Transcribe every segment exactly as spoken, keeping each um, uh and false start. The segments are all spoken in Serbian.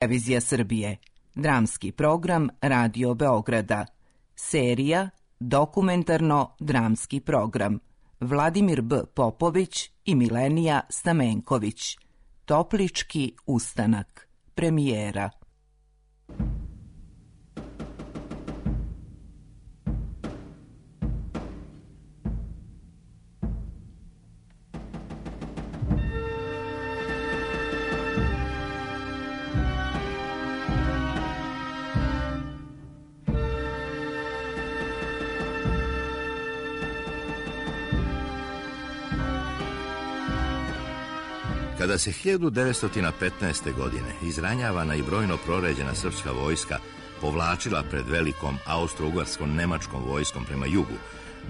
Televizija Srbije, dramski program Radio Beograda, serija Dokumentarno-dramski program, Vladimir B. Popović i Milenija Stamenković, Toplički ustanak, premijera. Kada se hiljadu devetsto petnaeste. godine izranjavana i brojno proređena srpska vojska povlačila pred velikom austro-ugarskom nemačkom vojskom prema jugu,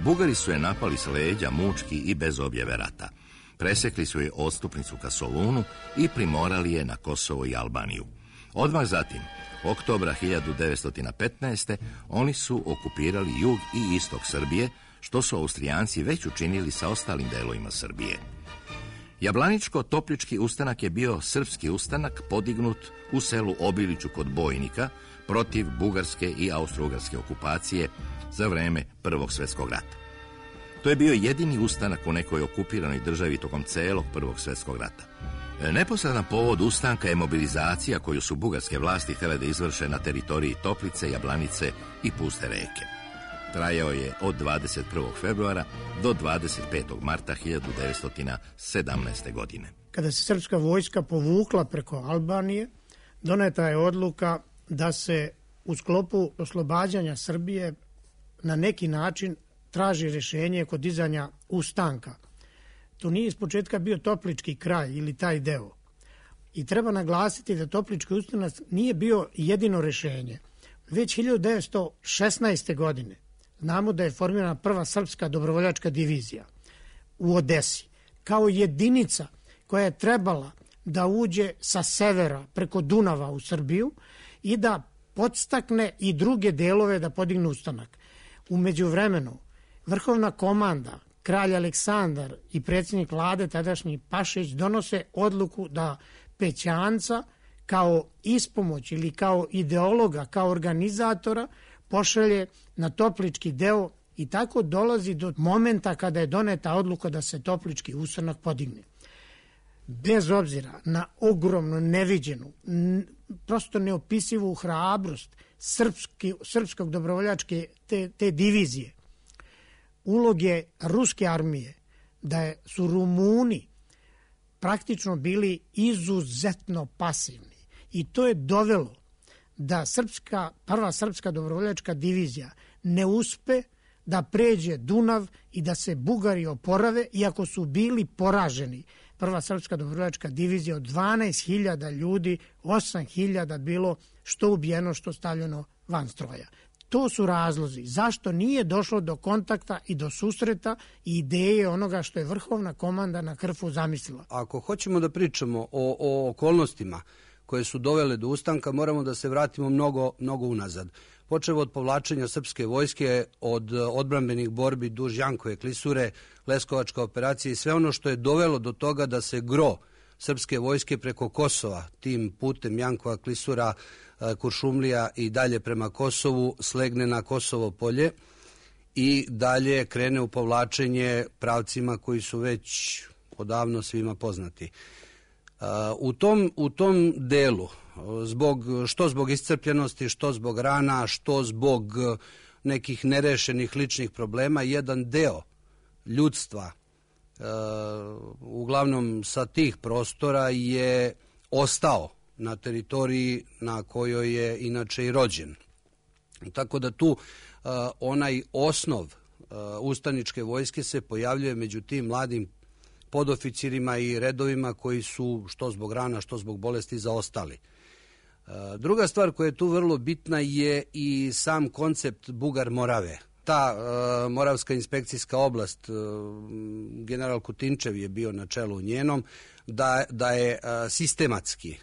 Bugari su je napali s leđa mučki i bez objave rata. Presekli su je odstupnicu ka Solunu i primorali je na Kosovo i Albaniju. Odmah zatim, oktobra hiljadu devetsto petnaeste. oni su okupirali jug i istok Srbije, što su Austrijanci već učinili sa ostalim delovima Srbije. Jablaničko-Toplički ustanak je bio srpski ustanak podignut u selu Obiliću kod Bojnika protiv bugarske i austro-ugarske okupacije za vreme Prvog svjetskog rata. To je bio jedini ustanak u nekoj okupiranoj državi tokom celog Prvog svjetskog rata. Neposredan povod ustanka je mobilizacija koju su bugarske vlasti htjele da izvrše na teritoriji Toplice, Jablanice i Puste reke. Trajao je od dvadeset prvog februara do dvadeset petog marta hiljadu devetsto sedamnaeste. godine. Kada se srpska vojska povukla preko Albanije, doneta je odluka da se u sklopu oslobađanja Srbije na neki način traži rješenje kod dizanja ustanka. To nije iz početka bio Toplički kraj ili taj deo. I treba naglasiti da Toplički ustanak nije bio jedino rješenje. Već hiljadu devetsto šesnaeste. godine znamo da je formirana prva srpska dobrovoljačka divizija u Odesi, kao jedinica koja je trebala da uđe sa severa preko Dunava u Srbiju i da podstakne i druge delove da podignu ustanak. U međuvremenu, vrhovna komanda, kralj Aleksandar i predsjednik vlade, tadašnji Pašić, donose odluku da Pećanca kao ispomoć ili kao ideologa, kao organizatora, pošalje na Toplički deo i tako dolazi do momenta kada je doneta odluka da se Toplički ustanak podigne. Bez obzira na ogromno neviđenu, prosto neopisivu hrabrost srpski, srpskog dobrovoljačke te, te divizije, uloge ruske armije, da je, su Rumuni praktično bili izuzetno pasivni i to je dovelo da srpska, prva srpska dobrovoljačka divizija ne uspe da pređe Dunav i da se Bugari oporave, iako su bili poraženi. Prva srpska dobrovoljačka divizija od dvanaest hiljada ljudi, osam hiljada bilo što ubijeno, što stavljeno van stroja. To su razlozi zašto nije došlo do kontakta i do susreta i ideje onoga što je vrhovna komanda na Krfu zamislila. Ako hoćemo da pričamo o, o okolnostima koje su dovele do ustanka, moramo da se vratimo mnogo, mnogo unazad. Počevo od povlačenja srpske vojske, od odbrambenih borbi duž Jankove klisure, Leskovačka operacija i sve ono što je dovelo do toga da se gro srpske vojske preko Kosova, tim putem Jankova klisura, Kuršumlija i dalje prema Kosovu, slegne na Kosovo polje i dalje krene u povlačenje pravcima koji su već odavno svima poznati. U tom, u tom delu, zbog, što zbog iscrpljenosti, što zbog rana, što zbog nekih nerešenih ličnih problema, jedan deo ljudstva, uh, uglavnom sa tih prostora, je ostao na teritoriji na kojoj je inače i rođen. Tako da tu uh, onaj osnov uh, ustaničke vojske se pojavljuje među tim mladim podoficirima i redovima koji su što zbog rana, što zbog bolesti zaostali. Druga stvar koja je tu vrlo bitna je i sam koncept Bugar Morave. Ta uh, Moravska inspekcijska oblast, uh, general Kutinčev je bio na čelu njenom, da, da je uh, sistematski,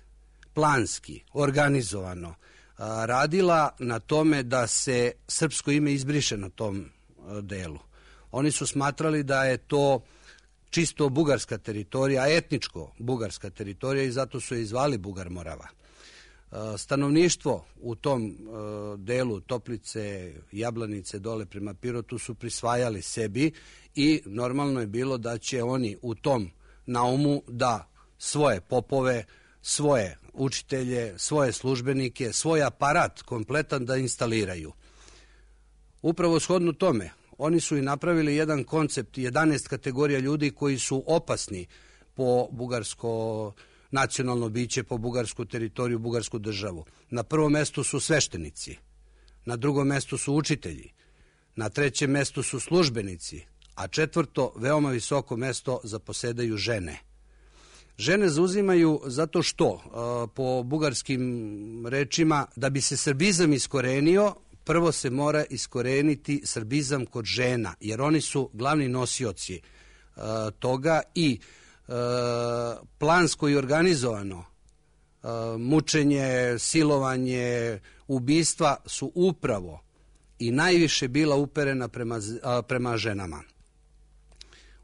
planski, organizovano uh, radila na tome da se srpsko ime izbriše na tom uh, delu. Oni su smatrali da je to čisto bugarska teritorija, etničko bugarska teritorija i zato su je izvali Bugar Morava. Stanovništvo u tom delu Toplice, Jablanice, dole prema Pirotu su prisvajali sebi i normalno je bilo da će oni u tom naumu da svoje popove, svoje učitelje, svoje službenike, svoj aparat kompletan da instaliraju. Upravo shodno tome, oni su i napravili jedan koncept, jedanaest kategorija ljudi koji su opasni po bugarsko nacionalno biće, po bugarsku teritoriju, bugarsku državu. Na prvom mestu su sveštenici, na drugom mestu su učitelji, na trećem mestu su službenici, a četvrto, veoma visoko mesto zaposedaju žene. Žene zauzimaju zato što, po bugarskim rečima, da bi se srbizam iskorenio, prvo se mora iskoreniti srbizam kod žena, jer oni su glavni nosioci toga i plansko i organizovano mučenje, silovanje, ubistva su upravo i najviše bila uperena prema, prema ženama.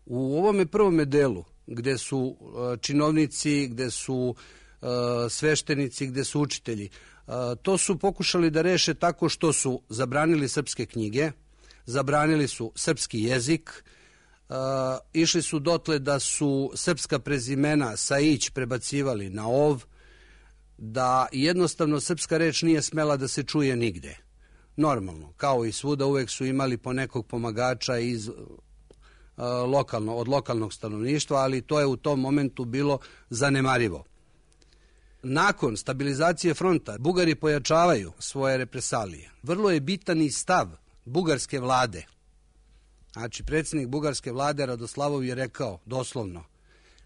U ovome prvome delu, gde su činovnici, gde su sveštenici, gde su učitelji, to su pokušali da reše tako što su zabranili srpske knjige, zabranili su srpski jezik, Uh, išli su dotle da su srpska prezimena sa ić prebacivali na ov, da jednostavno srpska reč nije smela da se čuje nigde. Normalno, kao i svuda, uvek su imali po nekog pomagača iz, uh, lokalno, od lokalnog stanovništva, ali to je u tom momentu bilo zanemarivo. Nakon stabilizacije fronta, Bugari pojačavaju svoje represalije. Vrlo je bitan i stav bugarske vlade. Znači, predsjednik bugarske vlade Radoslavov je rekao doslovno,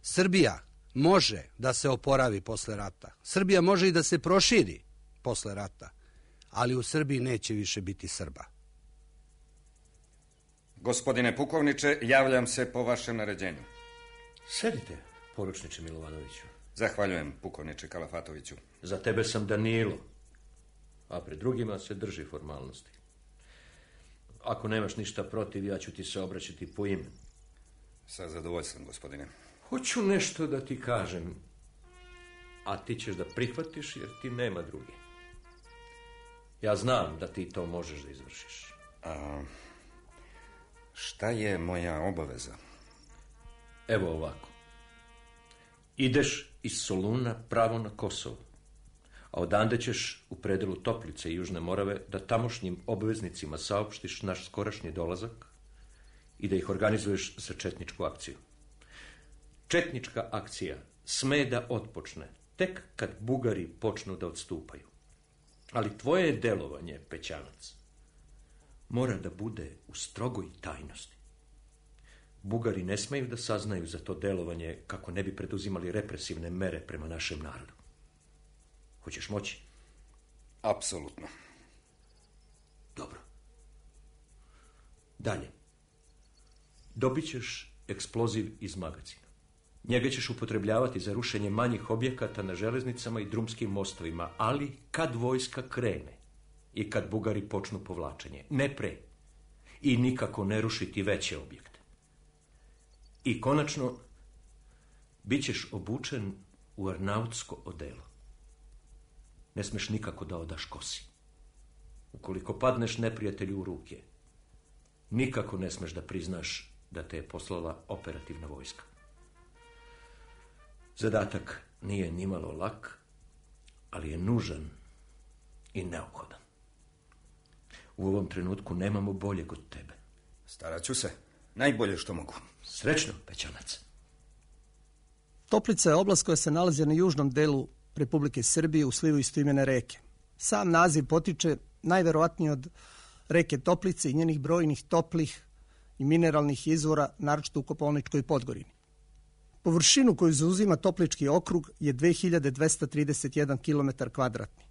Srbija može da se oporavi posle rata, Srbija može i da se proširi posle rata, ali u Srbiji neće više biti Srba. Gospodine pukovniče, javljam se po vašem naređenju. Sedite, poručniče Milovanoviću. Zahvaljujem, pukovniče Kalafatoviću. Za tebe sam Danilo, a pred drugima se drži formalnosti. Ako nemaš ništa protiv, ja ću ti se obraćati po imenu. Sa zadovoljstvom, gospodine. Hoću nešto da ti kažem, a ti ćeš da prihvatiš jer ti nema druge. Ja znam da ti to možeš da izvršiš. A šta je moja obaveza? Evo ovako. Ideš iz Soluna pravo na Kosovo, a odande ćeš u predelu Toplice i Južne Morave da tamošnjim obveznicima saopštiš naš skorašnji dolazak i da ih organizuješ za četničku akciju. Četnička akcija sme da otpočne tek kad Bugari počnu da odstupaju. Ali tvoje delovanje, Pećanac, mora da bude u strogoj tajnosti. Bugari ne smeju da saznaju za to delovanje kako ne bi preduzimali represivne mere prema našem narodu. Hoćeš moći? Apsolutno. Dobro. Dalje. Dobit ćeš eksploziv iz magacina. Njega ćeš upotrebljavati za rušenje manjih objekata na železnicama i drumskim mostovima, ali kad vojska krene i kad Bugari počnu povlačenje, ne pre. I nikako ne rušiti veće objekte. I konačno, bit ćeš obučen u arnautsko odelo. Ne smeš nikako da odaš kosi. Ukoliko padneš neprijatelju u ruke, nikako ne smeš da priznaš da te je poslala operativna vojska. Zadatak nije nimalo lak, ali je nužan i neophodan. U ovom trenutku nemamo boljeg od tebe. Starat ću se. Najbolje što mogu. Srećno, Pećanac. Toplica je oblast koja se nalazi na južnom delu Republike Srbije u slivu istoimene reke. Sam naziv potiče najverovatnije od reke Toplice i njenih brojnih toplih i mineralnih izvora, naročito u Kopaoničkoj Podgorini. Površinu koju zauzima Toplički okrug je dve hiljade dvesta trideset jedan kilometar kvadratni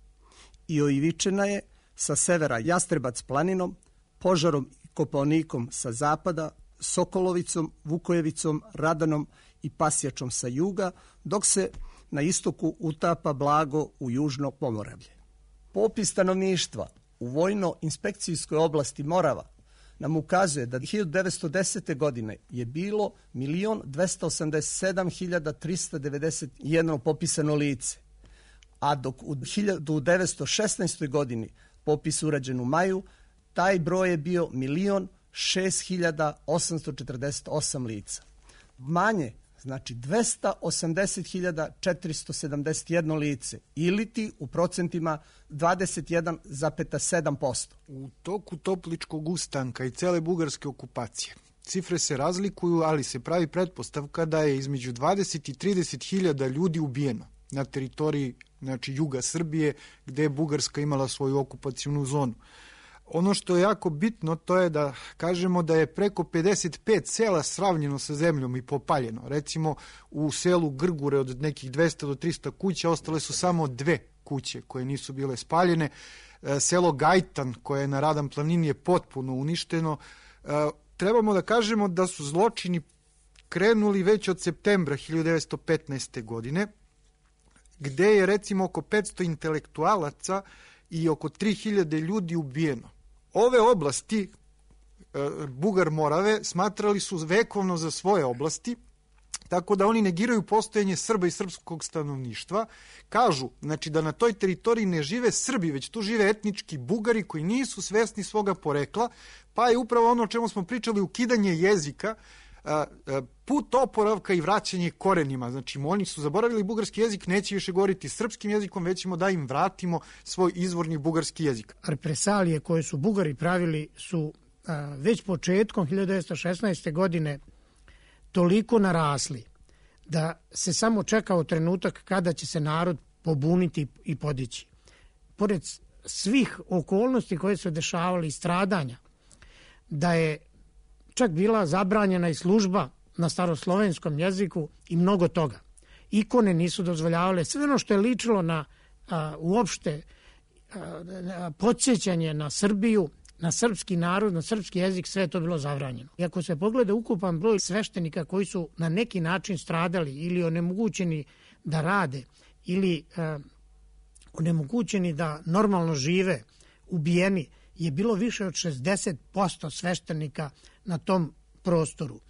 i oivičena je sa severa Jastrebac planinom, Požarom i Kopaonikom sa zapada, Sokolovicom, Vukojevicom, Radanom i Pasjačom sa juga, dok se na istoku utapa blago u južno Pomoravlje. Popis stanovništva u vojno-inspekcijskoj oblasti Morava nam ukazuje da hiljadu devetsto desete. godine je bilo milion dvesta osamdeset sedam hiljada trista devedeset jedno popisano lice, a dok u hiljadu devetsto šesnaestoj. godini popis urađen u maju, taj broj je bio milion šest hiljada osamsto četrdeset osam lica. Manje, znači dvesta osamdeset hiljada četiristo sedamdeset jedno lice, ili ti u procentima dvadeset jedan zarez sedam posto. U toku Topličkog ustanka i cele bugarske okupacije cifre se razlikuju, ali se pravi pretpostavka da je između dvadeset i trideset hiljada ljudi ubijeno na teritoriji, znači, juga Srbije, gde je Bugarska imala svoju okupacionu zonu. Ono što je jako bitno, to je da kažemo da je preko pedeset pet sela sravnjeno sa zemljom i popaljeno. Recimo, u selu Grgure od nekih dvesta do trista kuća ostale su samo dve kuće koje nisu bile spaljene. Selo Gajtan, koje je na Radan planini, je potpuno uništeno. Trebamo da kažemo da su zločini krenuli već od septembra hiljadu devetsto petnaeste. godine, gde je recimo oko petsto intelektualaca i oko tri hiljade ljudi ubijeno. Ove oblasti, Bugar Morave, smatrali su vekovno za svoje oblasti, tako da oni negiraju postojanje Srba i srpskog stanovništva. Kažu, znači, da na toj teritoriji ne žive Srbi, već tu žive etnički Bugari koji nisu svesni svoga porekla, pa je upravo ono o čemu smo pričali, ukidanje jezika, put oporavka i vraćanje korenima. Znači, oni su zaboravili bugarski jezik, neće više govoriti srpskim jezikom, već ćemo da im vratimo svoj izvorni bugarski jezik. Represalije koje su Bugari pravili su a, već početkom hiljadu devetsto šesnaeste. godine toliko narasli da se samo čekao trenutak kada će se narod pobuniti i podići. Pored svih okolnosti koje su dešavali i stradanja, da je čak bila zabranjena i služba na staroslovenskom jeziku i mnogo toga. Ikone nisu dozvoljavale, sve ono što je ličilo na a, uopšte a, podsjećanje na Srbiju, na srpski narod, na srpski jezik, sve je to bilo zabranjeno. I ako se pogleda ukupan broj sveštenika koji su na neki način stradali ili onemogućeni da rade ili a, onemogućeni da normalno žive, ubijeni, je bilo više od šezdeset posto sveštenika na tom prostoru.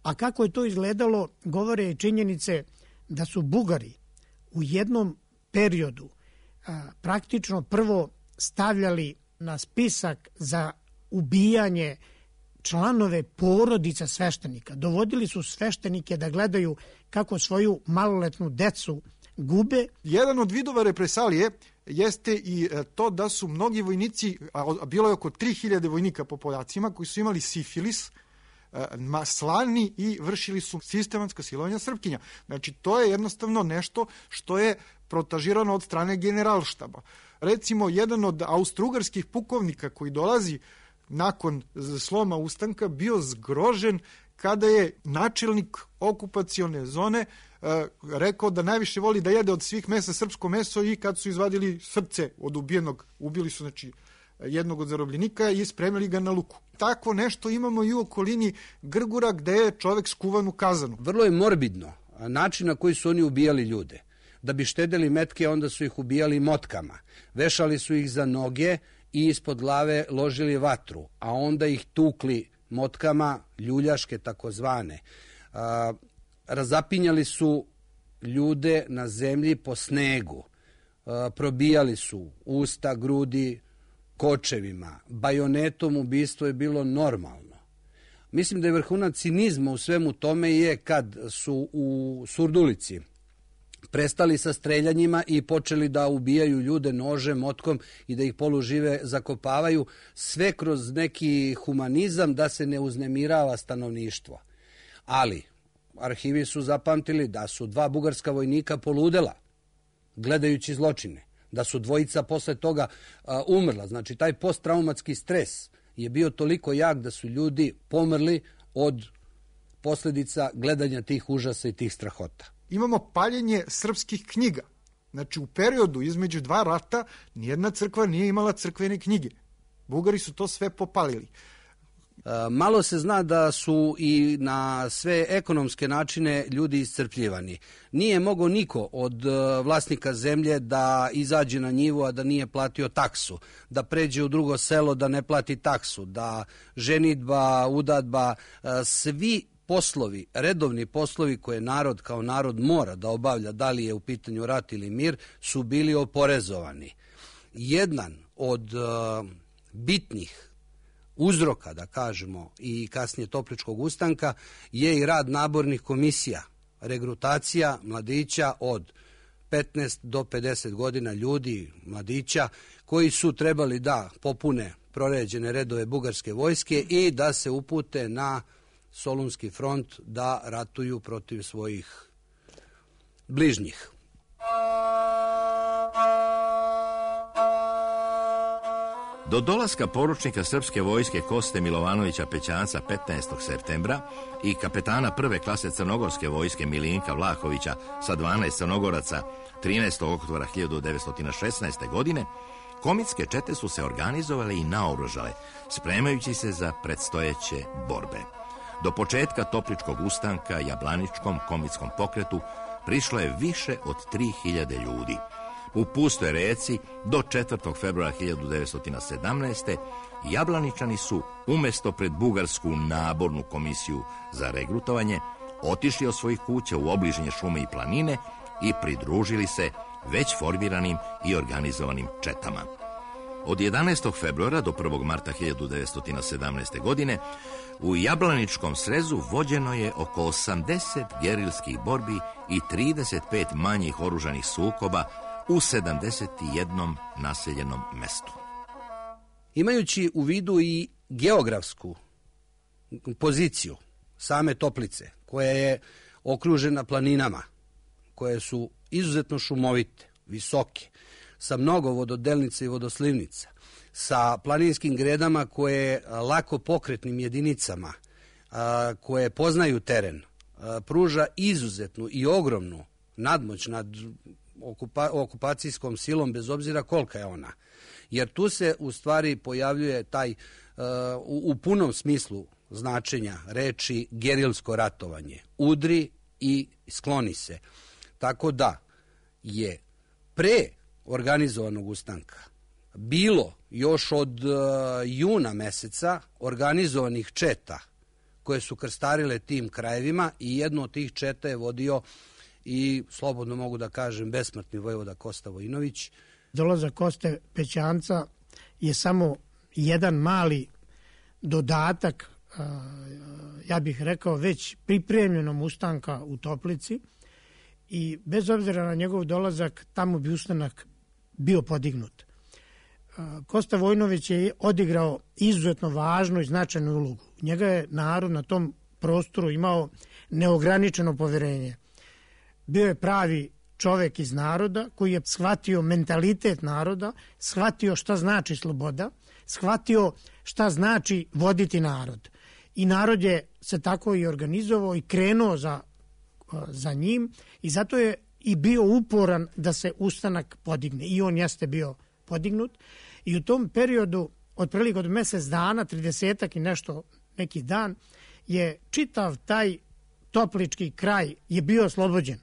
A kako je to izgledalo, govore i činjenice da su Bugari u jednom periodu a, praktično prvo stavljali na spisak za ubijanje članove porodica sveštenika. Dovodili su sveštenike da gledaju kako svoju maloletnu decu gube. Jedan od vidova represalije jeste i to da su mnogi vojnici, a bilo je oko tri hiljade vojnika po podacima, koji su imali sifilis, slani i vršili su sistematska silovanja Srpkinja. Znači, to je jednostavno nešto što je protažirano od strane generalštaba. Recimo, jedan od austrougarskih pukovnika koji dolazi nakon sloma ustanka bio zgrožen kada je načelnik okupacione zone rekao da najviše voli da jede od svih mesa srpsko meso, i kad su izvadili srce od ubijenog, ubili su, znači, jednog od zarobljenika i spremili ga na luku. Tako nešto imamo i u okolini Grgura, gde je čovek skuvan u kazanu. Vrlo je morbidno način na koji su oni ubijali ljude. Da bi štedeli metke, onda su ih ubijali motkama. Vešali su ih za noge i ispod glave ložili vatru, a onda ih tukli motkama, ljuljaške takozvane. A, razapinjali su ljude na zemlji po snegu. A, probijali su usta, grudi, kočevima. Bajonetom ubistvo je bilo normalno. Mislim da je vrhunac cinizma u svemu tome je kad su u Surdulici prestali sa streljanjima i počeli da ubijaju ljude nožem, motkom i da ih polužive zakopavaju, sve kroz neki humanizam da se ne uznemirava stanovništvo. Ali arhivi su zapamtili da su dva bugarska vojnika poludela gledajući zločine, da su dvojica posle toga a, umrla. Znači, taj posttraumatski stres je bio toliko jak da su ljudi pomrli od posljedica gledanja tih užasa i tih strahota. Imamo paljenje srpskih knjiga. Znači, u periodu između dva rata nijedna crkva nije imala crkvene knjige. Bugari su to sve popalili. Malo se zna da su i na sve ekonomske načine ljudi iscrpljivani. Nije mogao niko od vlasnika zemlje da izađe na njivu, a da nije platio taksu, da pređe u drugo selo, da ne plati taksu, da ženidba, udadba, svi poslovi, redovni poslovi koje narod kao narod mora da obavlja, da li je u pitanju rat ili mir, su bili oporezovani. Jedan od uh, bitnih uzroka, da kažemo, i kasnije Topličkog ustanka je i rad nabornih komisija, regrutacija mladića od petnaest do pedeset godina, ljudi, mladića, koji su trebali da popune proređene redove bugarske vojske i da se upute na Solunski front da ratuju protiv svojih bližnjih. Do dolaska poručnika srpske vojske Koste Milovanovića Pećanca petnaestog septembra i kapetana prve klase crnogorske vojske Milinka Vlahovića sa dvanaest crnogoraca trinaestog oktobra hiljadu devetsto šesnaeste. godine, komitske čete su se organizovale i naoružale, spremajući se za predstojeće borbe. Do početka Topličkog ustanka Jablaničkom komitskom pokretu prišlo je više od tri hiljade ljudi. U Pustoj Reci do četvrtog februara hiljadu devetsto sedamnaeste. Jablaničani su umesto pred bugarsku nabornu komisiju za regrutovanje otišli od svojih kuća u obližnje šume i planine i pridružili se već formiranim i organizovanim četama. Od jedanaestog februara do prvog marta hiljadu devetsto sedamnaeste. godine u Jablaničkom srezu vođeno je oko osamdeset gerilskih borbi i trideset pet manjih oružanih sukoba u sedamdeset jednom naseljenom mestu. Imajući u vidu i geografsku poziciju same Toplice, koja je okružena planinama, koje su izuzetno šumovite, visoke, sa mnogo vododelnica i vodoslivnica, sa planinskim gredama koje lako pokretnim jedinicama, koje poznaju teren, pruža izuzetnu i ogromnu nadmoć nad okupa, okupacijskom silom, bez obzira kolika je ona. Jer tu se u stvari pojavljuje taj uh, u, u punom smislu značenja reči gerilsko ratovanje. Udri i skloni se. Tako da je pre organizovanog ustanka bilo još od uh, juna meseca organizovanih četa koje su krstarile tim krajevima i jedno od tih četa je vodio i, slobodno mogu da kažem, besmrtni vojvoda Kosta Vojinović. Dolazak Koste Pećanca je samo jedan mali dodatak, ja bih rekao, već pripremljenom ustanka u Toplici i bez obzira na njegov dolazak tamo bi ustanak bio podignut. Kosta Vojinović je odigrao izuzetno važnu i značajnu ulogu. Njega je narod na tom prostoru imao neograničeno poverenje. Bio je pravi čovek iz naroda koji je shvatio mentalitet naroda, shvatio šta znači sloboda, shvatio šta znači voditi narod. I narod je se tako i organizovao i krenuo za, za njim i zato je i bio uporan da se ustanak podigne. I on jeste bio podignut. I u tom periodu, otprilike od mesec dana, tridesetak i nešto, neki dan, je čitav taj toplički kraj je bio oslobođen.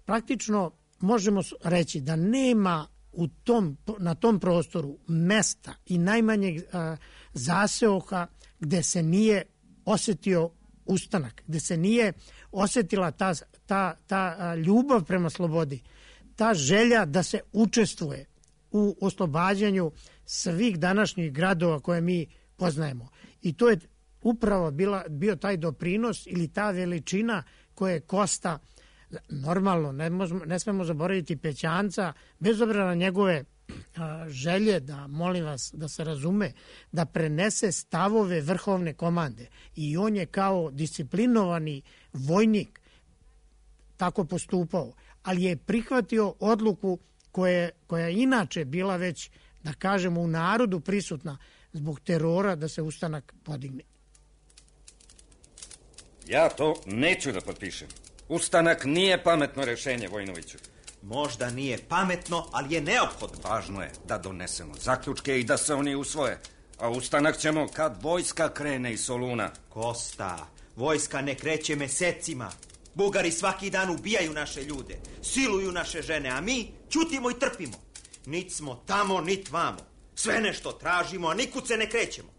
Praktično možemo reći da nema u tom, na tom prostoru mesta i najmanjeg a, zaseoka gde se nije osetio ustanak, gde se nije osetila ta, ta, ta a, ljubav prema slobodi, ta želja da se učestvuje u oslobađanju svih današnjih gradova koje mi poznajemo. I to je upravo bila, bio taj doprinos ili ta veličina koje je Kosta. Normalno, ne, možemo, ne smemo zaboraviti Pećanca, bez obzira na njegove a, želje, da, molim vas, da se razume, da prenese stavove vrhovne komande. I on je kao disciplinovani vojnik tako postupao, ali je prihvatio odluku koje, koja je inače bila već, da kažemo, u narodu prisutna zbog terora da se ustanak podigne. Ja to neću da potpišem. Ustanak nije pametno rešenje, Vojinoviću. Možda nije pametno, ali je neophodno. Važno je da donesemo zaključke i da se oni usvoje. A ustanak ćemo kad vojska krene iz Soluna. Kosta, vojska ne kreće mesecima. Bugari svaki dan ubijaju naše ljude, siluju naše žene, a mi ćutimo i trpimo. Nit smo tamo, nit vamo. Sve nešto tražimo, a nikud se ne krećemo.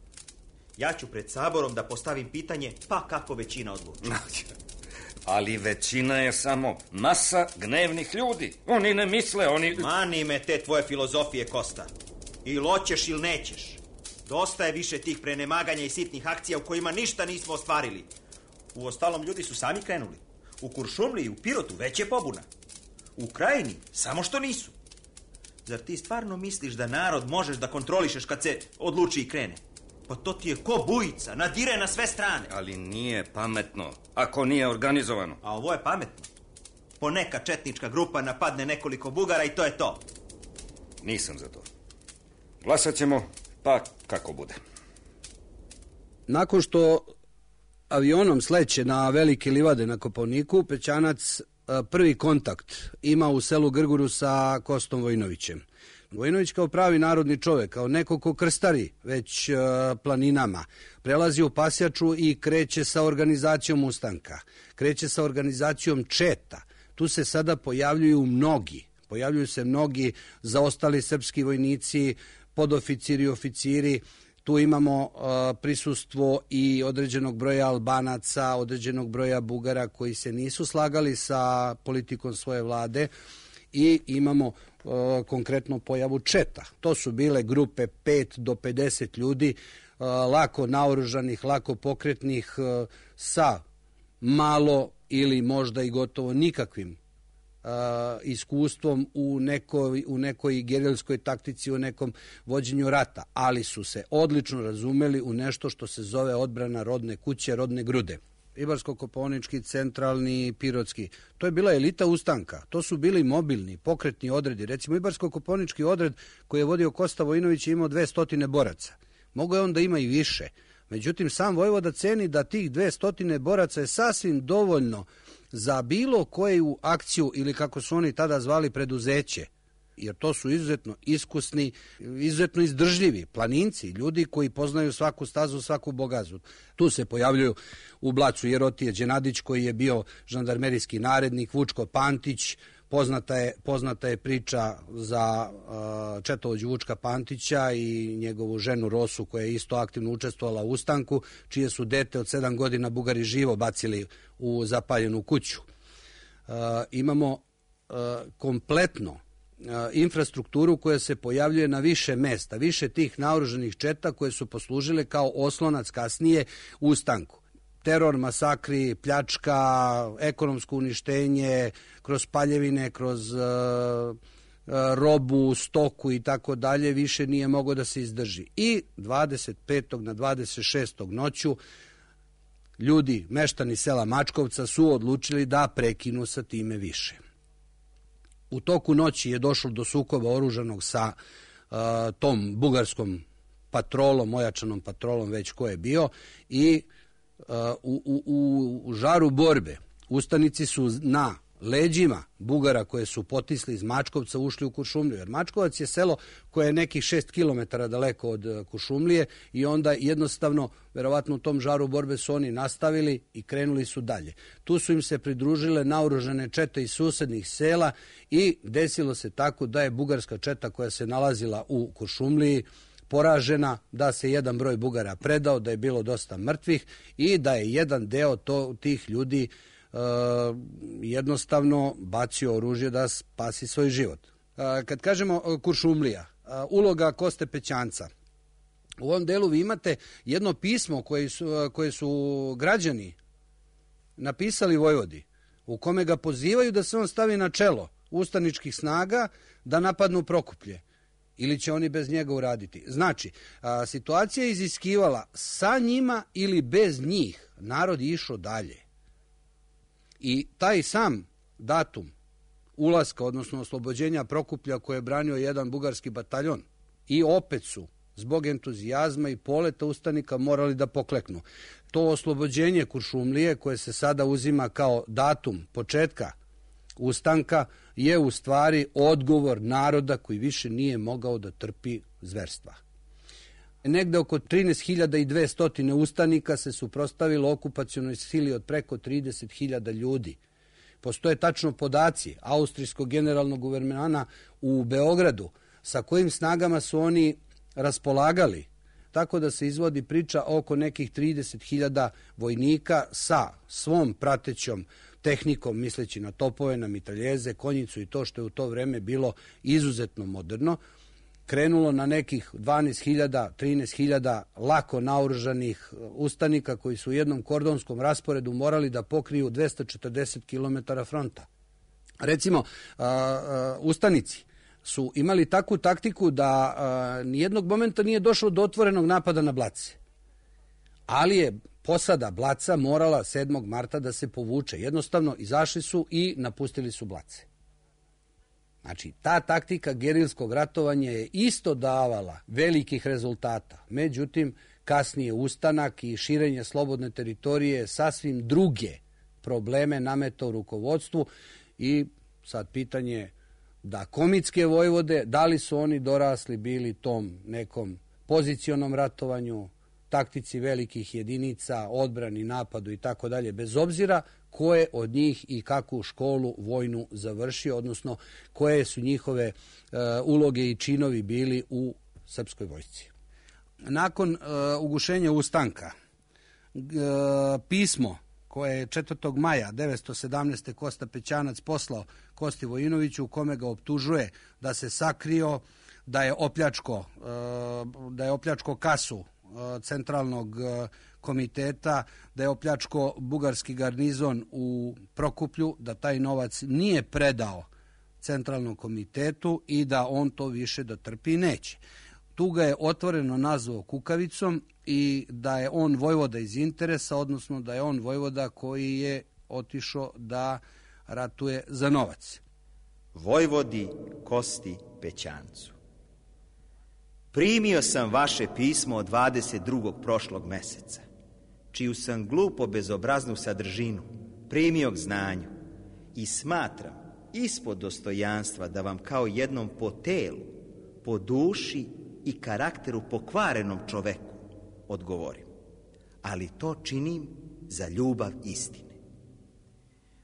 Ja ću pred saborom da postavim pitanje, pa kako većina odluči. Ali većina je samo masa gnevnih ljudi. Oni ne misle, oni... Mani me te tvoje filozofije, Kosta. Ili hoćeš ili nećeš. Dosta je više tih prenemaganja i sitnih akcija u kojima ništa nismo ostvarili. U ostalom, ljudi su sami krenuli. U Kuršumliji i u Pirotu već je pobuna. U Krajini samo što nisu. Zar ti stvarno misliš da narod možeš da kontrolišeš kad se odluči i krene? Pa to ti je ko bujica, nadire na sve strane. Ali nije pametno, ako nije organizovano. A ovo je pametno. Poneka četnička grupa napadne nekoliko Bugara i to je to. Nisam za to. Glasat ćemo, pa kako bude. Nakon što avionom sleće na Velike livade na Kopaoniku, Pećanac prvi kontakt ima u selu Grguru sa Kostom Vojinovićem. Vojinović kao pravi narodni čovek, kao neko ko krstari već planinama, prelazi u Pasjaču i kreće sa organizacijom ustanka, kreće sa organizacijom četa. Tu se sada pojavljuju mnogi, pojavljuju se mnogi zaostali srpski vojnici, podoficiri i oficiri. Tu imamo uh, prisustvo i određenog broja Albanaca, određenog broja Bugara koji se nisu slagali sa politikom svoje vlade i imamo uh, konkretno pojavu četa. To su bile grupe pet do pedeset ljudi, uh, lako naoružanih, lako pokretnih, uh, sa malo ili možda i gotovo nikakvim Uh, iskustvom u nekoj, u nekoj gerilskoj taktici, u nekom vođenju rata, ali su se odlično razumeli u nešto što se zove odbrana rodne kuće, rodne grude. Ibarsko-kopaonički, centralni, pirotski. To je bila elita ustanka. To su bili mobilni, pokretni odredi. Recimo, Ibarsko-kopaonički odred koji je vodio Kosta Vojinović je imao dve stotine boraca. Mogo je on da ima i više. Međutim, sam vojvoda ceni da tih dve stotine boraca je sasvim dovoljno za bilo koju akciju ili kako su oni tada zvali preduzeće, jer to su izuzetno iskusni, izuzetno izdržljivi planinci, ljudi koji poznaju svaku stazu, svaku bogazu. Tu se pojavljuju u Blacu Jerotije Đenadić koji je bio žandarmerijski narednik, Vučko Pantić, poznata je, poznata je priča za uh, četovođu Vučka Pantića i njegovu ženu Rosu koja je isto aktivno učestvovala u ustanku, čije su dete od sedam godina Bugari živo bacili u zapaljenu kuću. Uh, imamo uh, kompletno uh, infrastrukturu koja se pojavljuje na više mesta, više tih naoružanih četa koje su poslužile kao oslonac kasnije u ustanku. Teror, masakri, pljačka, ekonomsko uništenje, kroz paljevine, kroz uh, robu, stoku i tako dalje, više nije moglo da se izdrži. I dvadeset petog na dvadeset šestog noću ljudi, meštani sela Mačkovca su odlučili da prekinu sa time više. U toku noći je došlo do sukoba oružanog sa uh, tom bugarskom patrolom, ojačanom patrolom, već ko je bio, i uh, u, u, u žaru borbe ustanici su na leđima Bugara koje su potisli iz Mačkovca ušli u Kuršumliju, jer Mačkovac je selo koje je nekih šest kilometara daleko od Kuršumlije i onda jednostavno, verovatno u tom žaru borbe su oni nastavili i krenuli su dalje. Tu su im se pridružile naoružane čete iz susednih sela i desilo se tako da je bugarska četa koja se nalazila u Kuršumliji poražena, da se jedan broj Bugara predao, da je bilo dosta mrtvih i da je jedan deo to, tih ljudi Uh, jednostavno bacio oružje da spasi svoj život. Uh, kad kažemo uh, Kuršumlija, uh, uloga Koste Pećanca, u ovom delu vi imate jedno pismo koje su, uh, koje su građani napisali Vojvodi, u kome ga pozivaju da se on stavi na čelo ustaničkih snaga da napadnu Prokuplje, ili će oni bez njega uraditi. Znači, a, situacija je iziskivala sa njima ili bez njih, narod je išao dalje. I taj sam datum ulaska, odnosno oslobođenja Prokuplja koje je branio jedan bugarski bataljon, i opet su zbog entuzijazma i poleta ustanika morali da pokleknu. To oslobođenje Kuršumlije koje se sada uzima kao datum početka ustanka je u stvari odgovor naroda koji više nije mogao da trpi zverstva. Negde oko trinaest hiljada dvesta ustanika se suprotstavilo okupacionoj sili od preko trideset hiljada ljudi. Postoje tačno podaci austrijskog generalnog guvernana u Beogradu sa kojim snagama su oni raspolagali. tako da se izvodi priča oko nekih trideset hiljada vojnika sa svom pratećom tehnikom, misleći na topove, na mitraljeze, konjicu i to što je u to vreme bilo izuzetno moderno, krenulo na nekih dvanaest hiljada, trinaest hiljada lako naoružanih ustanika koji su u jednom kordonskom rasporedu morali da pokriju dvesta četrdeset kilometara fronta. Recimo, a, a, ustanici su imali takvu taktiku da a, nijednog momenta nije došlo do otvorenog napada na Blace. Ali je posada Blaca morala sedmog marta da se povuče. Jednostavno izašli su i napustili su Blace. Znači, ta taktika gerilskog ratovanja je isto davala velikih rezultata. Međutim, kasnije ustanak i širenje slobodne teritorije sasvim druge probleme nametao rukovodstvu i sad pitanje da komitske vojvode, da li su oni dorasli bili tom nekom pozicionom ratovanju, taktici velikih jedinica, odbrani, napadu i tako dalje, bez obzira ko je od njih i kakvu školu vojnu završio, odnosno koje su njihove e, uloge i činovi bili u srpskoj vojsci. Nakon e, ugušenja ustanka, e, pismo koje je četvrtog maja devetsto sedamnaeste. Kosta Pećanac poslao Kosti Vojinoviću, u kome ga optužuje da se sakrio, da je opljačko, e, da je opljačko kasu centralnog komiteta, da je opljačko bugarski garnizon u Prokuplju, da taj novac nije predao centralnom komitetu i da on to više da trpi neće. Tu ga je otvoreno nazvao kukavicom i da je on vojvoda iz interesa, odnosno da je on vojvoda koji je otišao da ratuje za novac. Vojvodi Kosti Pećancu. Primio sam vaše pismo od dvadeset drugog prošlog meseca, čiju sam glupo bezobraznu sadržinu primio k znanju i smatram ispod dostojanstva da vam kao jednom po telu, po duši i karakteru pokvarenom čoveku odgovorim. Ali to činim za ljubav istine.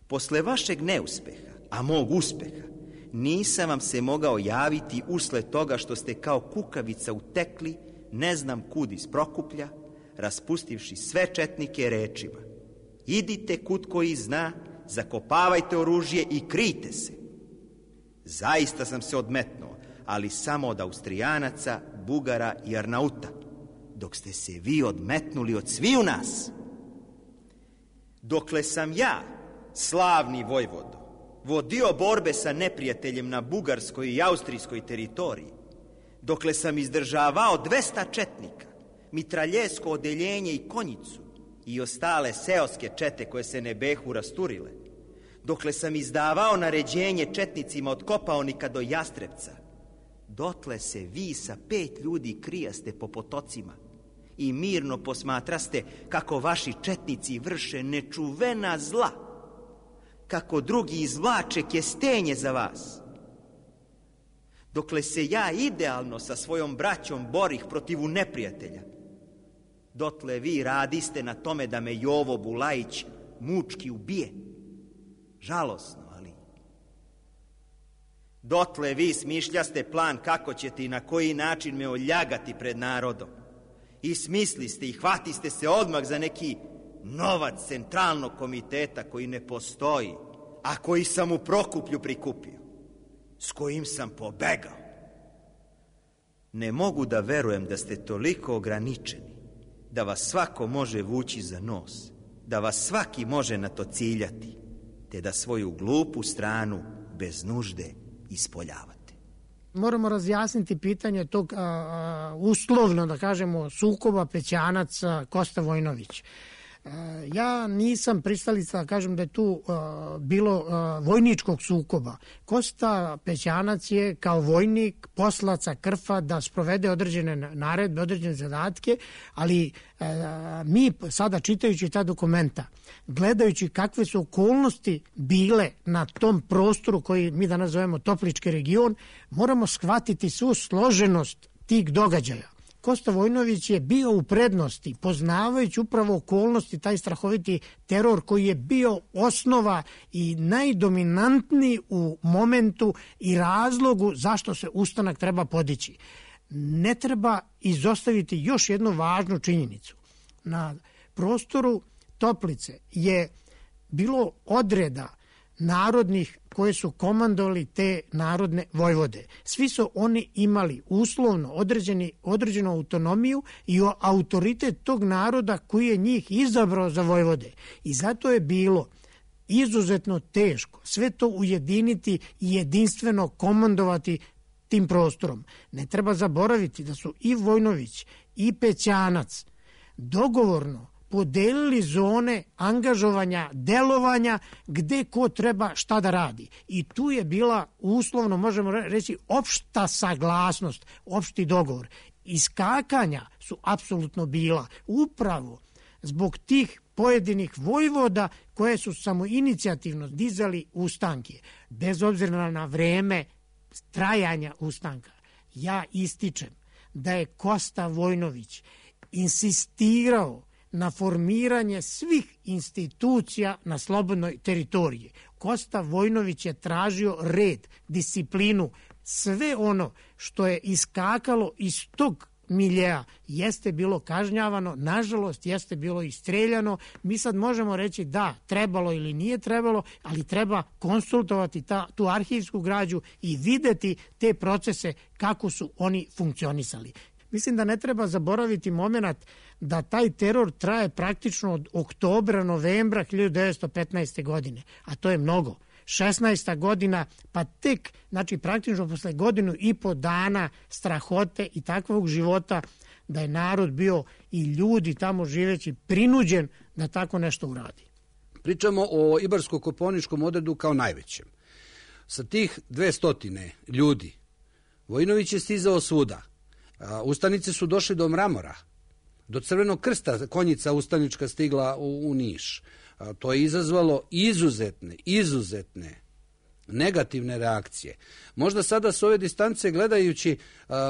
Posle vašeg neuspeha, a mog uspeha, nisam vam se mogao javiti usled toga što ste kao kukavica utekli, ne znam kud iz Prokuplja, raspustivši sve četnike rečima: idite kud koji zna, zakopavajte oružje i krijte se. Zaista sam se odmetnuo, ali samo od Austrijanaca, Bugara i Arnauta, dok ste se vi odmetnuli od sviju nas. Dokle sam ja, slavni vojvodo, vodio borbe sa neprijateljem na bugarskoj i austrijskoj teritoriji, dokle sam izdržavao dvesta četnika, mitraljesko odeljenje i konjicu i ostale seoske čete koje se ne behu rasturile, dokle sam izdavao naređenje četnicima od Kopaonika do Jastrebca, dotle se vi sa pet ljudi krijaste po potocima i mirno posmatraste kako vaši četnici vrše nečuvena zla, kako drugi izvlače kestenje za vas. Dokle se ja idealno sa svojom braćom borih protiv neprijatelja, dotle vi radiste na tome da me Jovo Bulajić mučki ubije. Žalosno, ali... Dotle vi smišljaste plan kako ćete i na koji način me oljagati pred narodom. I smisliste i hvatiste se odmah za neki novac centralnog komiteta koji ne postoji, a koji sam u Prokuplju prikupio, s kojim sam pobegao. Ne mogu da verujem da ste toliko ograničeni, da vas svako može vući za nos, da vas svaki može na to ciljati, te da svoju glupu stranu bez nužde ispoljavate. Moramo razjasniti pitanje tog a, a, uslovno, da kažemo, sukoba Pećanac Kosta Vojinović. Ja nisam pristalica da kažem da je tu uh, bilo uh, vojničkog sukoba. Kosta Pećanac je kao vojnik poslaca Krfa da sprovede određene naredbe, određene zadatke, ali uh, mi sada čitajući ta dokumenta, gledajući kakve su okolnosti bile na tom prostoru koji mi danas zovemo Toplički region, moramo shvatiti svu složenost tih događaja. Kosta Vojinović je bio u prednosti, poznavajući upravo okolnosti, taj strahoviti teror koji je bio osnova i najdominantniji u momentu i razlogu zašto se ustanak treba podići. ne treba izostaviti još jednu važnu činjenicu. Na prostoru Toplice je bilo odreda narodnih koje su komandovali te narodne vojvode. Svi su oni imali uslovno određeni, određenu autonomiju i autoritet tog naroda koji je njih izabrao za vojvode. I zato je bilo izuzetno teško sve to ujediniti i jedinstveno komandovati tim prostorom. Ne treba zaboraviti da su i Vojnović i Pećanac dogovorno podelili zone angažovanja, delovanja, gde ko treba šta da radi. I tu je bila uslovno, možemo reći, opšta saglasnost, opšti dogovor. Iskakanja su apsolutno bila upravo zbog tih pojedinih vojvoda koje su samoinicijativno dizali ustanke. Bez obzira na vreme trajanja ustanka, ja ističem da je Kosta Vojnović insistirao na formiranje svih institucija na slobodnoj teritoriji. Kosta Vojnović je tražio red, disciplinu, sve ono što je iskakalo iz tog miljeja jeste bilo kažnjavano, nažalost jeste bilo i streljano. Mi sad možemo reći da, trebalo ili nije trebalo, ali treba konsultovati ta, tu arhivsku građu i videti te procese kako su oni funkcionisali. Mislim da ne treba zaboraviti moment da taj teror traje praktično od oktobra, novembra hiljadu devetsto petnaeste. godine, a to je mnogo. šesnaesta godina, pa tek, znači praktično posle godinu i po dana strahote i takvog života, da je narod bio i ljudi tamo živeći prinuđen da tako nešto uradi. Pričamo o Ibarsko-Kopaoničkom odredu kao najvećem. Sa tih dve stotine ljudi Vojnović je stizao svuda. Ustanice su došli do Mramora, do Crvenog krsta, konjica ustanička stigla u, u Niš. To je izazvalo izuzetne, izuzetne negativne reakcije. Možda sada s ove distance gledajući,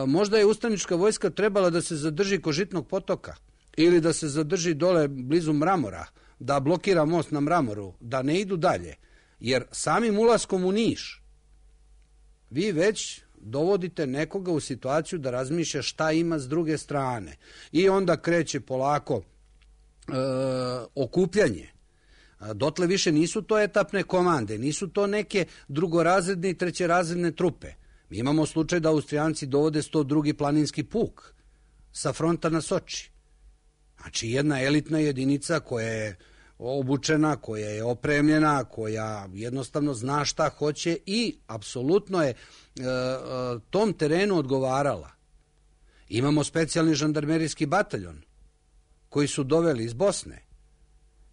možda je ustanička vojska trebala da se zadrži kod Žitnog potoka ili da se zadrži dole blizu Mramora, da blokira most na Mramoru, da ne idu dalje. Jer samim ulaskom u Niš vi već dovodite nekoga u situaciju da razmišlja šta ima s druge strane. I onda kreće polako e, okupljanje. Dotle više nisu to etapne komande, nisu to neke drugorazredne i trećerazredne trupe. Mi imamo slučaj da Austrijanci dovode sto drugi planinski puk sa fronta na Soči. Znači jedna elitna jedinica koja je obučena, koja je opremljena, koja jednostavno zna šta hoće i apsolutno je e, tom terenu odgovarala. Imamo specijalni žandarmerijski bataljon koji su doveli iz Bosne.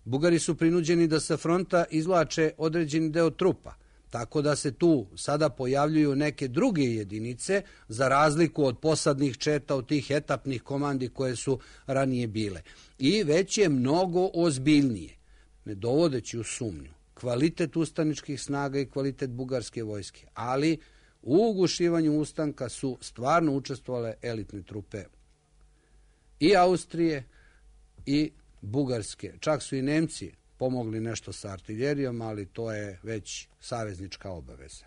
Bugari su prinuđeni da sa fronta izvlače određeni deo trupa, tako da se tu sada pojavljuju neke druge jedinice za razliku od posadnih četa, od tih etapnih komandi koje su ranije bile. I već je mnogo ozbiljnije, ne dovodeći u sumnju kvalitet ustaničkih snaga i kvalitet bugarske vojske, ali u ugušivanju ustanka su stvarno učestvovale elitne trupe i Austrije i Bugarske. Čak su i Nemci pomogli nešto sa artiljerijom, ali to je već saveznička obaveza.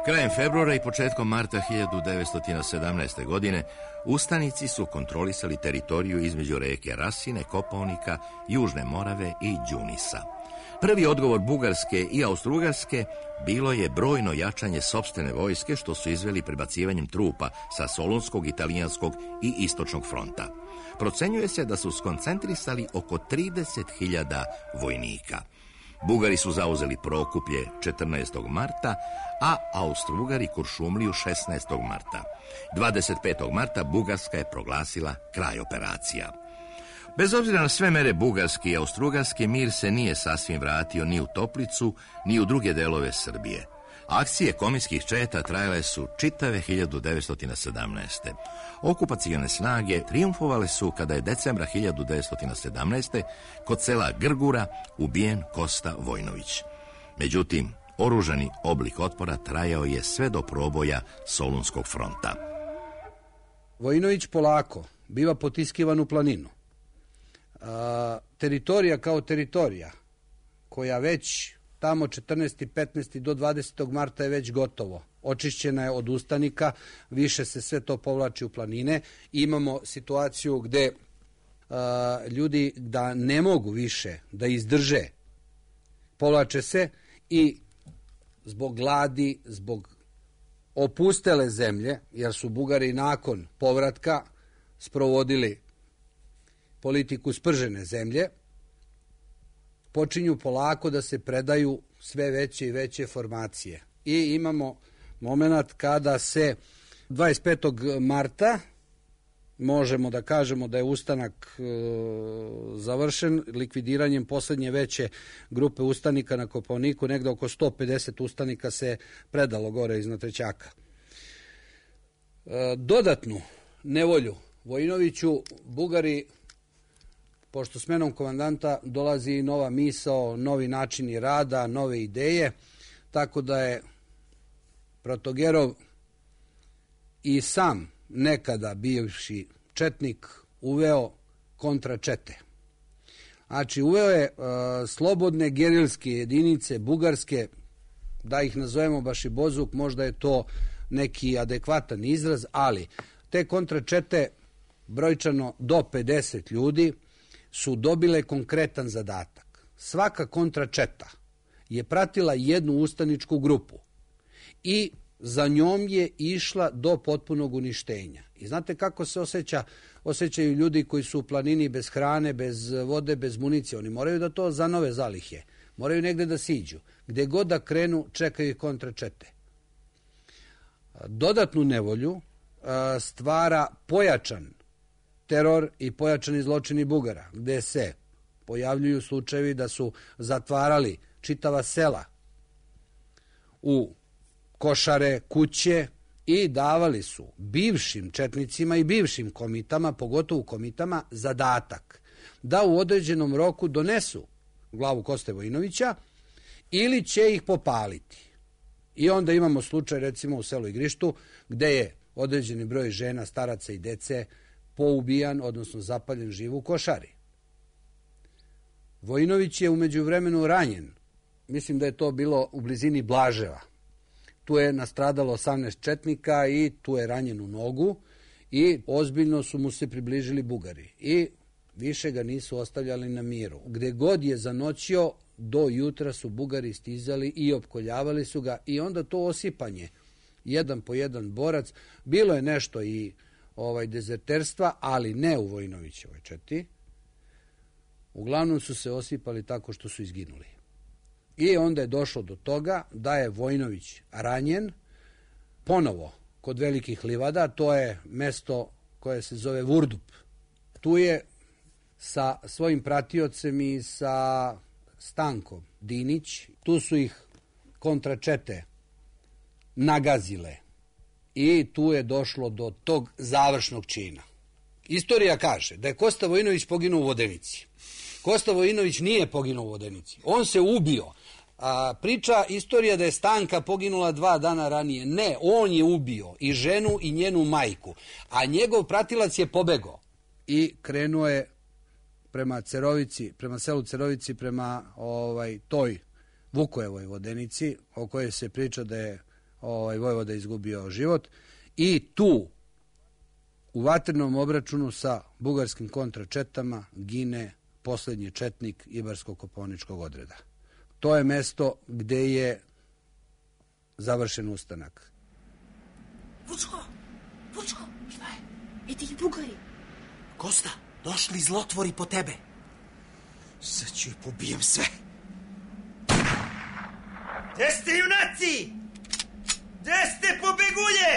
Krajem februara i početkom marta hiljadu devetsto sedamnaeste. godine ustanici su kontrolisali teritoriju između reke Rasine, Kopaonika, Južne Morave i Đunisa. Prvi odgovor Bugarske i Austrougarske bilo je brojno jačanje sopstvene vojske što su izveli prebacivanjem trupa sa Solunskog, Italijanskog i Istočnog fronta. Procenjuje se da su skoncentrisali oko trideset hiljada vojnika. Bugari su zauzeli Prokuplje četrnaestog marta, a Austrougari Kuršumliju šesnaestog marta. dvadeset petog marta Bugarska je proglasila kraj operacija. Bez obzira na sve mere bugarske i austrougarske, mir se nije sasvim vratio ni u Toplicu, ni u druge delove Srbije. Akcije kominskih četa trajale su čitave hiljadu devetsto sedamnaeste. Okupacione snage trijumfovale su kada je decembra hiljadu devetsto sedamnaeste. kod sela Grgura ubijen Kosta Vojnović. Međutim, oružani oblik otpora trajao je sve do proboja Solunskog fronta. Vojnović polako biva potiskivan u planinu. A, teritorija kao teritorija, koja već tamo četrnaesti, petnaesti do dvadesetog marta je već gotovo. Očišćena je od ustanika, više se sve to povlači u planine. Imamo situaciju gde a, ljudi da ne mogu više da izdrže, povlače se i zbog gladi, zbog opustele zemlje, jer su Bugari nakon povratka sprovodili politiku spržene zemlje, počinju polako da se predaju sve veće i veće formacije. I imamo moment kada se dvadeset petog marta možemo da kažemo da je ustanak e, završen likvidiranjem poslednje veće grupe ustanika na Kopaoniku, negde oko sto pedeset ustanika se predalo gore iznad Trećaka. E, dodatnu nevolju Vojinoviću Bugari, pošto smenom komandanta dolazi i nova misao, novi načini rada, nove ideje, tako da je Protogerov i sam nekada bivši četnik uveo kontračete. Znači, uveo je uh, slobodne gerilske jedinice, bugarske, da ih nazovemo baš i bozuk, možda je to neki adekvatan izraz, ali te kontračete, brojčano do pedeset ljudi, su dobile konkretan zadatak. Svaka kontračeta je pratila jednu ustaničku grupu i za njom je išla do potpunog uništenja. I znate kako se osjeća, osjećaju ljudi koji su u planini bez hrane, bez vode, bez municije. Oni moraju da to zanove zalihe. Moraju negde da siđu. Gde god da krenu, čekaju ih kontračete. Dodatnu nevolju stvara pojačan teror i pojačani zločini Bugara, gde se pojavljuju slučajevi da su zatvarali čitava sela u košare, kuće i davali su bivšim četnicima i bivšim komitama, pogotovo komitama, zadatak da u određenom roku donesu glavu Koste Vojinovića ili će ih popaliti. I onda imamo slučaj recimo u selu Igrištu gde je određeni broj žena, staraca i dece poubijan, odnosno zapaljen živ u košari. Vojinović je umeđu vremenu ranjen. Mislim da je to bilo u blizini Blaževa. Tu je nastradalo osamnaest četnika i tu je ranjen u nogu i ozbiljno su mu se približili Bugari. I više ga nisu ostavljali na miru. Gde god je zanoćio, do jutra su Bugari stizali i opkoljavali su ga i onda to osipanje, jedan po jedan borac, bilo je nešto i ovaj dezerterstva, ali ne u Vojinovićevoj četi. Uglavnom su se osipali tako što su izginuli. I onda je došlo do toga da je Vojinović ranjen ponovo kod Velikih livada, to je mesto koje se zove Vurdup. Tu je sa svojim pratiocem i sa Stankom Dinić, tu su ih kontračete nagazile i tu je došlo do tog završnog čina. Istorija kaže da je Kosta Vojinović poginuo u Vodenici. Kosta Vojinović nije poginuo u Vodenici. On se ubio. A, priča istorija da je Stanka poginula dva dana ranije. Ne, on je ubio i ženu i njenu majku. A njegov pratilac je pobegao. I krenuo je prema Cerovici, prema selu Cerovici, prema ovaj, toj Vukojevoj Vodenici, o kojoj se priča da je ovaj, vojvoda izgubio život. I tu, u vatrenom obračunu sa bugarskim kontračetama, gine poslednji četnik Ibarsko-Kopaoničkog odreda. To je mesto gde je završen ustanak. Vučko! Vučko! Šta je? I ti Bugari? Kosta, došli zlotvori po tebe. Sad ću ih pobijem sve. Gde ste, junaci? Gde ste, pobegulje?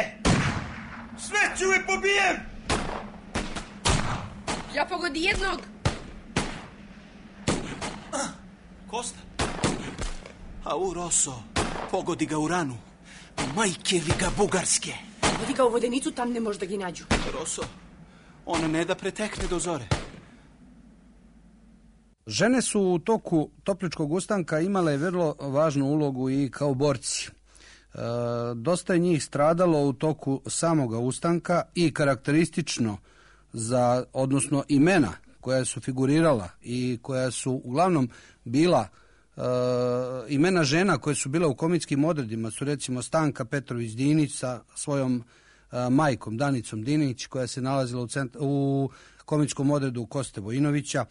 Sve ću me pobijem! Ja pogodi jednog. Ah, Kosta. A u Roso, pogodi ga u ranu. Majke li ga bugarske. Vodi ga u Vodenicu, tam ne može da gi nađu. Roso, ona ne da pretekne do zore. Žene su u toku Topličkog ustanka imale vrlo važnu ulogu i kao borci. E, dosta je njih stradalo u toku samoga ustanka i karakteristično za, odnosno imena koja su figurirala i koja su uglavnom bila E, imena žena koje su bile u komikskim odredima su recimo Stanka Petrović Dinić sa svojom e, majkom Danicom Dinić, koja se nalazila u, centra, u komičkom odredu Koste Vojinovića.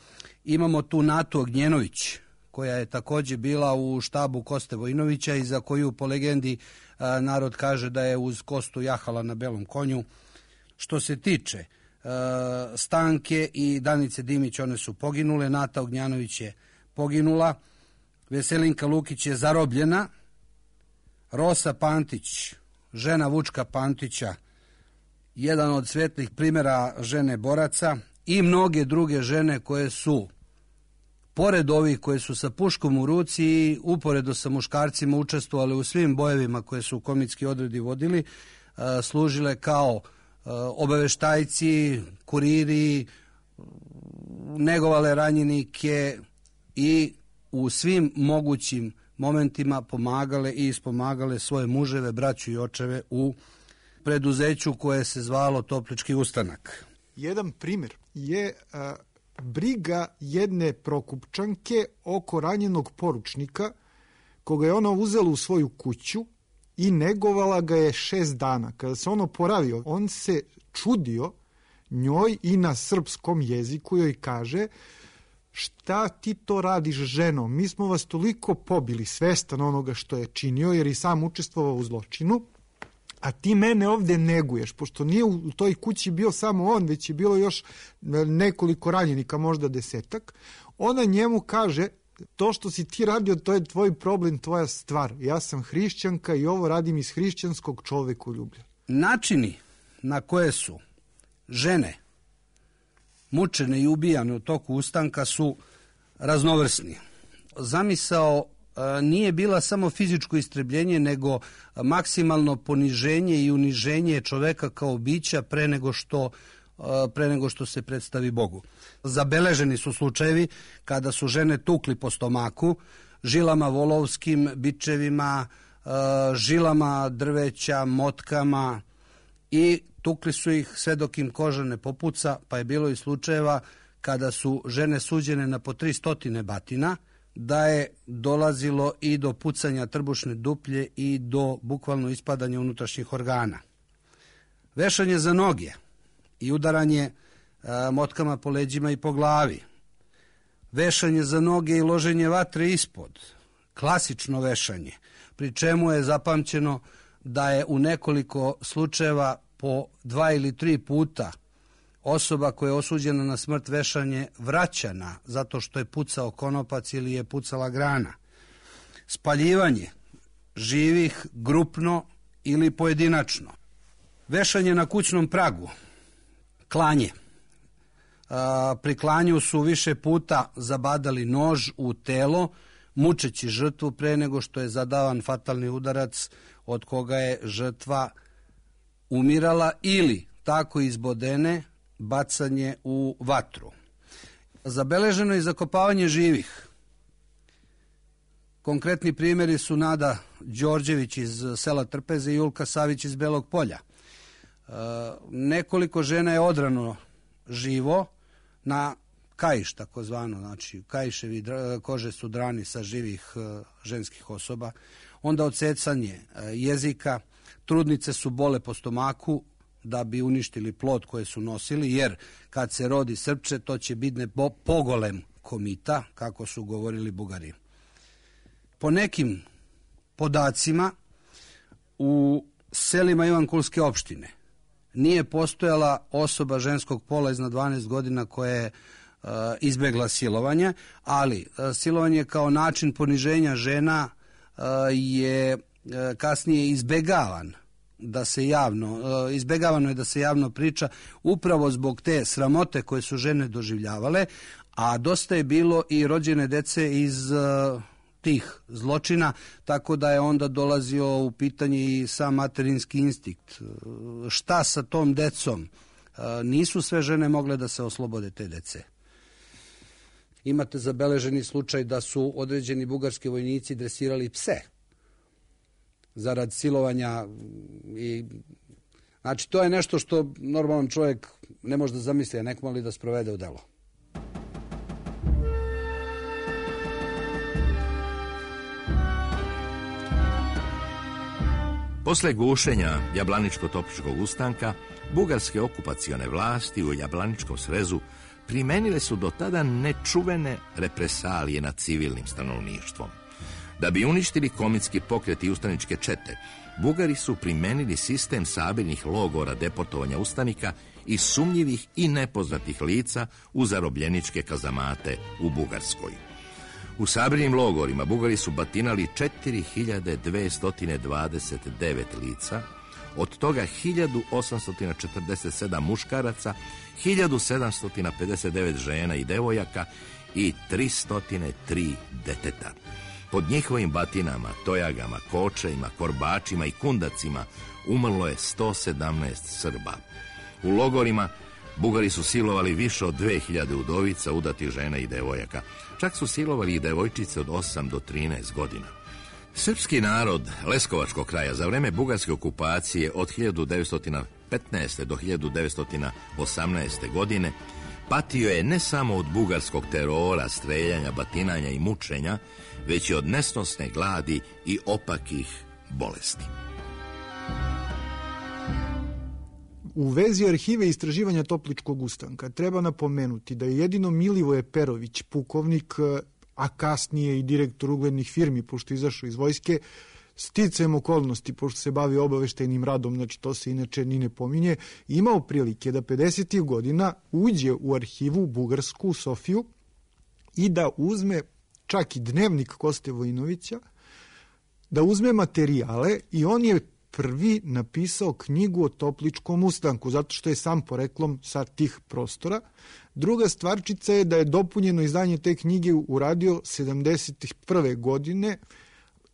Imamo tu Natu Ognjenović, koja je također bila u štabu Koste Vojinovića i za koju po legendi a, narod kaže da je uz Kostu jahala na belom konju. Što se tiče a, Stanke i Danice Dimić, one su poginule, Nata Ognjanović je poginula, Veselinka Lukić je zarobljena, Rosa Pantić, žena Vučka Pantića, jedan od svetlih primjera žene boraca, i mnoge druge žene koje su, pored ovih koje su sa puškom u ruci i uporedo sa muškarcima učestvovali u svim bojevima koje su komitski odredi vodili, služile kao obaveštajci, kuriri, negovale ranjenike i u svim mogućim momentima pomagale i ispomagale svoje muževe, braću i očeve u preduzeću koje se zvalo Toplički ustanak. Jedan primjer je a, briga jedne Prokupčanke oko ranjenog poručnika, koga je ona uzela u svoju kuću i negovala ga je šest dana. Kada se on oporavio, on se čudio njoj i na srpskom jeziku joj kaže: šta ti to radiš, ženo? Mi smo vas toliko pobili, svestan onoga što je činio, jer i sam učestvovao u zločinu, a ti mene ovdje neguješ, pošto nije u toj kući bio samo on, već je bilo još nekoliko ranjenika, možda desetak. Ona njemu kaže: to što si ti radio, to je tvoj problem, tvoja stvar. Ja sam hrišćanka i ovo radim iz hrišćanskog čovekoljublja. Načini na koje su žene mučene i ubijane u toku ustanka su raznovrsni. Zamisao nije bila samo fizičko istrebljenje, nego maksimalno poniženje i uniženje čoveka kao bića pre nego što, pre nego što se predstavi Bogu. Zabeleženi su slučajevi kada su žene tukli po stomaku, žilama volovskim, bičevima, žilama drveća, motkama, i tukli su ih sve dok im koža ne popuca, pa je bilo i slučajeva kada su žene suđene na po tri stotine batina, da je dolazilo i do pucanja trbušne duplje i do bukvalno ispadanja unutrašnjih organa. Vešanje za noge i udaranje a, motkama po leđima i po glavi. Vešanje za noge i loženje vatre ispod. Klasično vešanje, pri čemu je zapamćeno da je u nekoliko slučajeva po dva ili tri puta osoba koja je osuđena na smrt vešanje vraćana zato što je pucao konopac ili je pucala grana. Spaljivanje živih grupno ili pojedinačno. Vešanje na kućnom pragu. Klanje. A, pri klanju su više puta zabadali nož u telo, mučeći žrtvu pre nego što je zadavan fatalni udarac od koga je žrtva umirala, ili tako izbodene bacanje u vatru. Zabeleženo je zakopavanje živih. Konkretni primjeri su Nada Đorđević iz sela Trpeze i Julka Savić iz Belog Polja. E, nekoliko žena je odrano živo na kaiš, takozvano, znači kaiševi kože su drani sa živih e, ženskih osoba. Onda odsecanje e, jezika, trudnice su bole po stomaku da bi uništili plod koje su nosili, jer kad se rodi srpče, to će biti pogolem komita, kako su govorili Bugari. Po nekim podacima, u selima Ivankulske opštine nije postojala osoba ženskog pola iznad dvanaest godina koja je uh, izbegla silovanje, ali uh, silovanje kao način poniženja žena uh, je uh, kasnije izbegavan da se javno, uh, izbegavano je da se javno priča upravo zbog te sramote koje su žene doživljavale, a dosta je bilo i rođene dece iz uh, tih zločina, tako da je onda dolazio u pitanje i sam materinski instinkt. Šta sa tom decom? Nisu sve žene mogle da se oslobode te dece. Imate zabeleženi slučaj da su određeni bugarski vojnici dresirali pse zarad silovanja i znači to je nešto što normalan čovjek ne može da zamisli, a nekom ali da sprovede u delo. Posle gušenja Jablaničko-Topličkog ustanka, bugarske okupacione vlasti u Jablaničkom srezu primenile su do tada nečuvene represalije nad civilnim stanovništvom. Da bi uništili komitski pokret i ustaničke čete, Bugari su primenili sistem sabirnih logora deportovanja ustanika i sumnjivih i nepoznatih lica u zarobljeničke kazamate u Bugarskoj. U sabirnim logorima Bugari su batinali četiri hiljade dvesta dvadeset devet lica, od toga hiljadu osamsto četrdeset sedam muškaraca, hiljadu sedamsto pedeset devet žena i devojaka i tristo tri deteta. Pod njihovim batinama, tojagama, kočejima, korbačima i kundacima umrlo je sto sedamnaest Srba. U logorima Bugari su silovali više od dve hiljade udovica, udatih žena i devojaka. Čak su silovali i devojčice od osam do trinaest godina. Srpski narod Leskovačkog kraja za vreme bugarske okupacije od hiljadu devetsto petnaeste. do hiljadu devetsto osamnaeste. godine patio je ne samo od bugarskog terora, streljanja, batinanja i mučenja, već i od nesnosne gladi i opakih bolesti. U vezi arhive istraživanja Topličkog ustanka treba napomenuti da je jedino Milivoje Perović, pukovnik, a kasnije i direktor uglednih firmi, pošto je izašao iz vojske, sticajem okolnosti, pošto se bavi obaveštajnim radom, znači to se inače ni ne pominje, imao prilike da pedesetih godina uđe u arhivu bugarsku, Sofiju, i da uzme čak i dnevnik Koste Vojinovića, da uzme materijale i on je prvi napisao knjigu o Topličkom ustanku, zato što je sam poreklom sa tih prostora. Druga stvarčica je da je dopunjeno izdanje te knjige uradio sedamdeset prve. godine,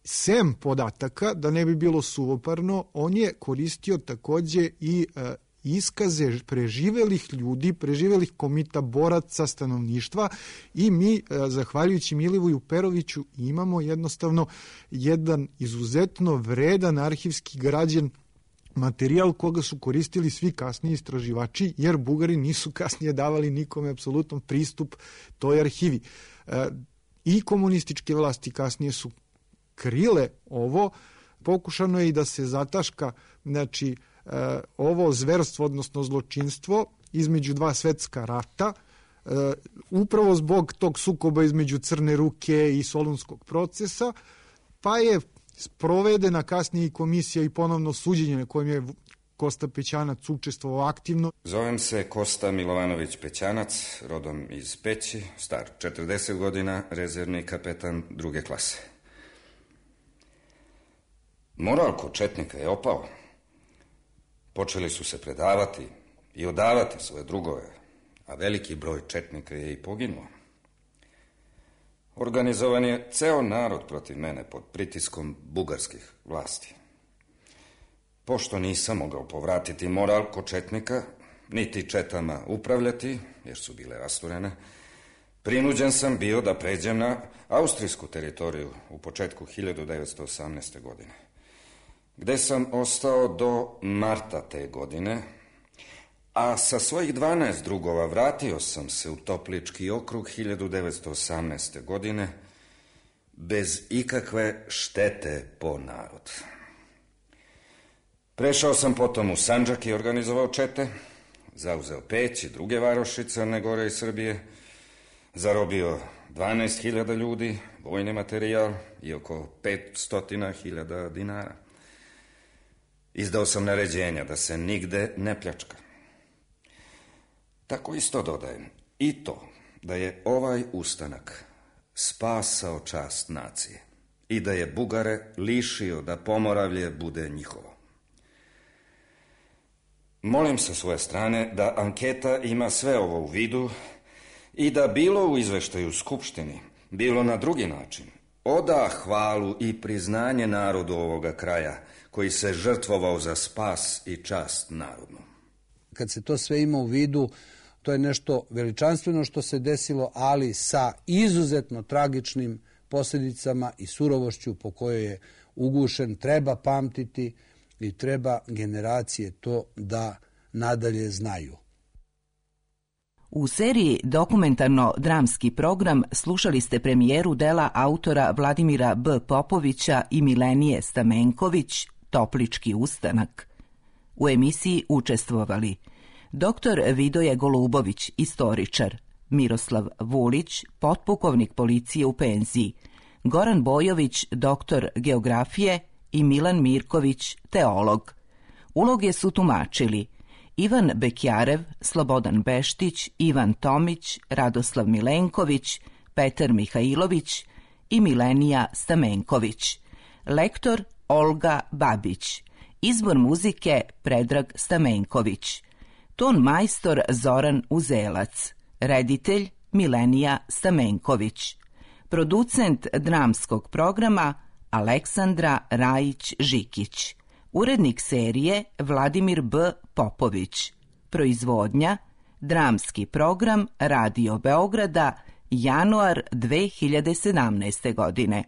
sem podataka, da ne bi bilo suvoparno, on je koristio takođe i e, iskaze preživelih ljudi, preživelih komita, boraca, stanovništva, i mi, e, zahvaljujući Milivoju Peroviću, imamo jednostavno jedan izuzetno vredan arhivski građen materijal koga su koristili svi kasniji istraživači, jer Bugari nisu kasnije davali nikome apsolutan pristup toj arhivi. E, I komunističke vlasti kasnije su krile ovo, pokušano je i da se zataška, znači, e, ovo zverstvo, odnosno zločinstvo između dva svetska rata, e, upravo zbog tog sukoba između Crne ruke i Solunskog procesa, pa je sprovedena kasnije i komisija i ponovno suđenje na kojem je Kosta Pećanac učestvovao aktivno. Zovem se Kosta Milovanović Pećanac, rodom iz Peći, star četrdeset godina, rezervni kapetan druge klase. Moral kod četnika je opao. Počeli su se predavati i odavati svoje drugove, a veliki broj četnika je i poginuo. Organizovan je ceo narod protiv mene pod pritiskom bugarskih vlasti. Pošto nisam mogao povratiti moral kod četnika, niti četama upravljati, jer su bile rasturene, prinuđen sam bio da pređem na austrijsku teritoriju u početku hiljadu devetsto osamnaeste. godine, gde sam ostao do marta te godine, a sa svojih dvanaest drugova vratio sam se u Toplički okrug hiljadu devetsto osamnaeste. godine bez ikakve štete po narod. Prešao sam potom u Sandžak i organizovao čete, zauzeo Peć i druge varoši Crne Gore i Srbije, zarobio dvanaest hiljada ljudi, vojni materijal i oko petsto hiljada dinara. Izdao sam naređenja da se nigde ne pljačka. Tako isto dodajem i to da je ovaj ustanak spasao čast nacije i da je Bugare lišio da Pomoravlje bude njihovo. Molim sa svoje strane da anketa ima sve ovo u vidu i da bilo u izveštaju Skupštini, bilo na drugi način, oda hvalu i priznanje narodu ovoga kraja koji se žrtvovao za spas i čast narodnu. Kad se to sve ima u vidu, to je nešto veličanstveno što se desilo, ali sa izuzetno tragičnim posljedicama i surovošću po kojoj je ugušen. Treba pamtiti i treba generacije to da nadalje znaju. U seriji dokumentarno-dramski program slušali ste premijeru dela autora Vladimira B. Popovića i Milenije Stamenković, Toplički ustanak. U emisiji učestvovali doktor Vidoje Golubović, istoričar, Miroslav Vulić, potpukovnik policije u penziji, Goran Bojović, doktor geografije i Milan Mirković, teolog. Uloge su tumačili Ivan Bekjarev, Slobodan Beštić, Ivan Tomić, Radoslav Milenković, Petar Mihajlović i Milenija Stamenković. Lektor Olga Babić. Izbor muzike Predrag Stamenković. Ton majstor Zoran Uzelac. Reditelj Milenija Stamenković. Producent dramskog programa Aleksandra Rajić-Žikić. Urednik serije Vladimir B. Popović. Proizvodnja dramski program Radio Beograda, januar dve hiljade sedamnaeste. godine.